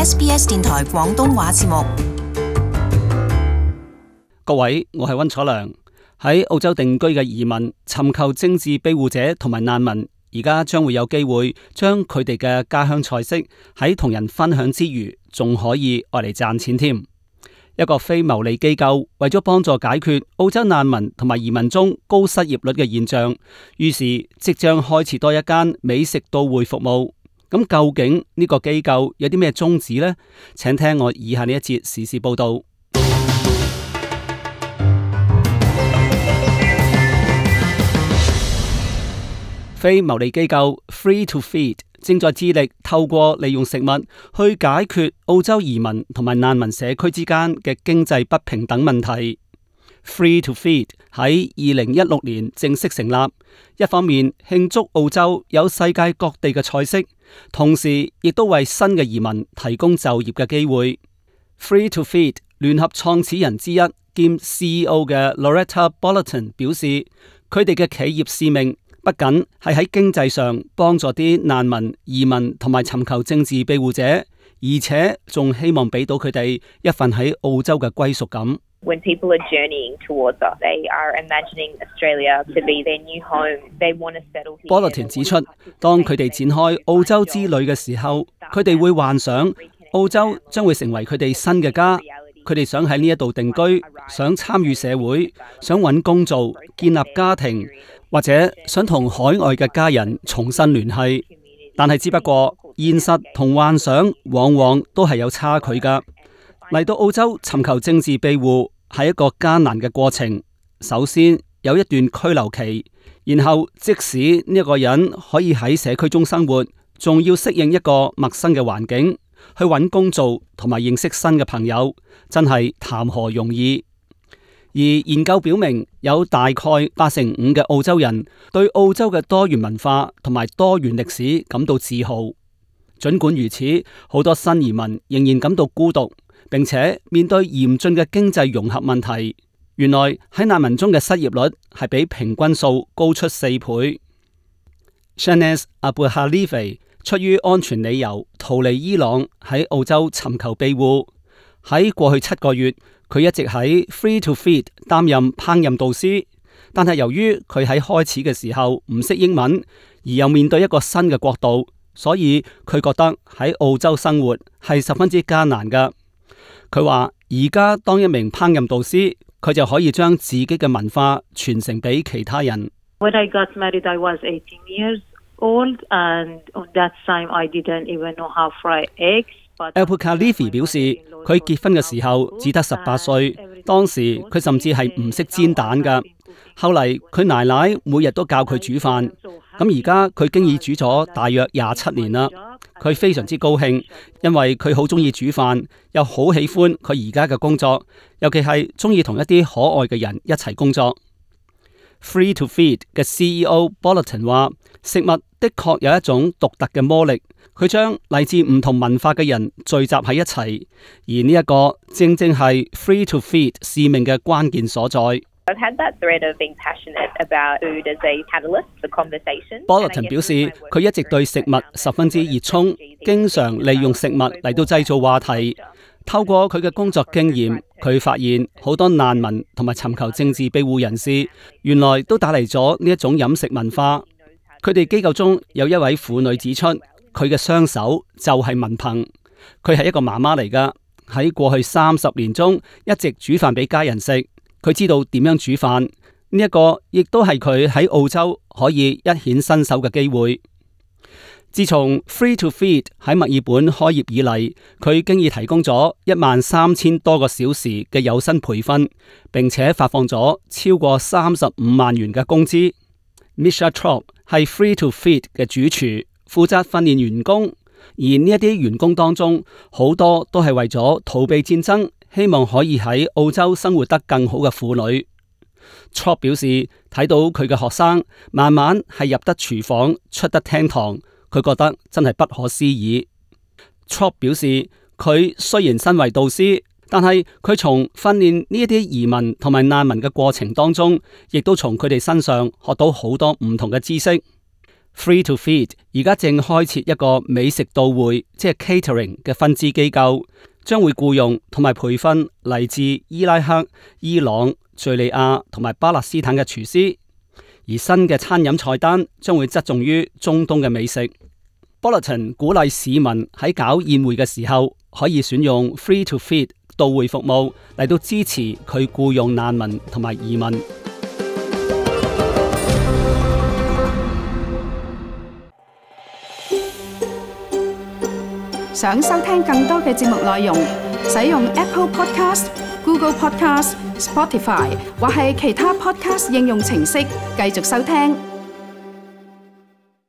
SBS 電台廣東話節目。各位，我係溫楚良。喺澳洲定居嘅移民、尋求政治庇護者同埋難民，而家將會有機會將佢哋嘅家鄉菜式喺同人分享之餘，仲可以愛嚟賺錢添。一個非牟利機構為咗幫助解決澳洲難民同埋移民中高失業率嘅現象，於是即將開設多一間美食到會服務。咁究竟呢個機構有啲咩宗旨呢？請聽我以下呢一節時事報道。非牟利機構 Free to Feed 正在致力透過利用食物去解決澳洲移民同埋難民社區之間嘅經濟不平等問題。Free to Feed 喺2016年正式成立，一方面慶祝澳洲有世界各地嘅菜式，同時亦都為新嘅移民提供就業嘅機會。Free to Feed 聯合創始人之一兼 CEO 嘅 Loretta Bollerton 表示，佢哋嘅企業使命不僅係喺經濟上幫助啲難民、移民同埋尋求政治庇護者，而且仲希望俾到佢哋一份喺澳洲嘅歸屬感。When people are journeying towards us, they are imagining Australia to be their new home. They want to settle here. Bollerton 指出，當佢哋展開澳洲之旅嘅時候，佢哋會幻想澳洲將會成為佢哋新嘅家。佢哋想喺呢一度定居，想參與社會，想揾工做，建立家庭，或者想同海外嘅家人重新聯繫。但係只不過現實同幻想往往都係有差距㗎。嚟到澳洲尋求政治庇護係一個艱難嘅過程。首先有一段居留期，然後即使呢一個人可以喺社區中生活，仲要適應一個陌生嘅環境，去揾工做同埋認識新嘅朋友，真係談何容易。而研究表明，有大概85%嘅澳洲人對澳洲嘅多元文化同埋多元歷史感到自豪。儘管如此，好多新移民仍然感到孤獨，並且面對嚴峻嘅經濟融合問題。原來喺難民中嘅失業率係比平均數高出4倍。Shanaz Abuhalive 出於安全理由逃離伊朗，喺澳洲尋求庇護。喺過去7個月，佢一直喺 Free to Feed 擔任烹飪導師，但係由於佢喺開始嘅時候唔識英文，而又面對一個新嘅國度，所以佢覺得喺澳洲生活係十分之艱難噶。佢話而家當一名烹飪導師，佢就可以將自己嘅文化傳承俾其他人。When I got married, I was 18 years old, and on that time I didn't even know how fry eggs. Abuhalive 表示，佢結婚嘅時候只得18歲，當時佢甚至係唔識煎蛋噶。後嚟佢奶奶每日都教佢煮飯，咁而家佢經已煮咗大約27年啦。佢非常之高興，因為佢好中意煮飯，又好喜歡佢而家嘅工作，尤其係中意同一啲可愛嘅人一齊工作。Free to Feed 嘅 CEO Bollerton 話，食物的確有一種獨特嘅魔力，佢將嚟自唔同文化嘅人聚集喺一齊，而呢一個正正係 Free to Feed 使命嘅關鍵所在。I've had that thread of being passionate about food as a catalyst for conversation. Bollerton 表示，佢一直對食物十分之熱衷，經常利用食物嚟到製造話題。透過佢嘅工作經驗，佢發現好多難民同埋尋求政治庇護人士，原來都帶嚟咗呢一種飲食文化。佢哋機構中有一位婦女指出，佢嘅雙手就係文憑。佢係一個媽媽嚟噶，喺過去30年中一直煮飯俾家人食。佢知道點樣煮飯，呢一個亦都係佢喺澳洲可以一顯身手嘅機會。自從 Free to Feed 喺墨爾本開業以嚟，佢經已提供咗13000多個小時嘅有薪培訓，並且發放咗超過35萬元嘅工資。Misha Trop 係 Free to Feed 嘅主廚，負責訓練員工，而呢一啲員工當中，好多都係為咗逃避戰爭，希望可以喺澳洲生活得更好嘅婦女。Trop 表示，睇到佢嘅學生慢慢係入得廚房，出得廳堂，佢覺得真係不可思議。Trop 表示，佢雖然身為導師，但係佢從訓練呢一啲移民同埋難民嘅過程當中，亦都從佢哋身上學到好多唔同嘅知識。Free to Feed 而家正開設一個美食到會，即係 catering 嘅分支機構，將會僱用同埋培訓嚟自伊拉克、伊朗、敘利亞同埋巴勒斯坦嘅廚師，而新嘅餐飲菜單將會側重於中東嘅美食。Bulletin 鼓勵市民喺搞宴會嘅時候，可以選用 Free to Feed 到會服務嚟到支持佢僱用難民同埋移民。想收聽更多嘅節目內容，使用 Apple Podcast、Google Podcast、Spotify 或係其他 Podcast 應用程式繼續收聽。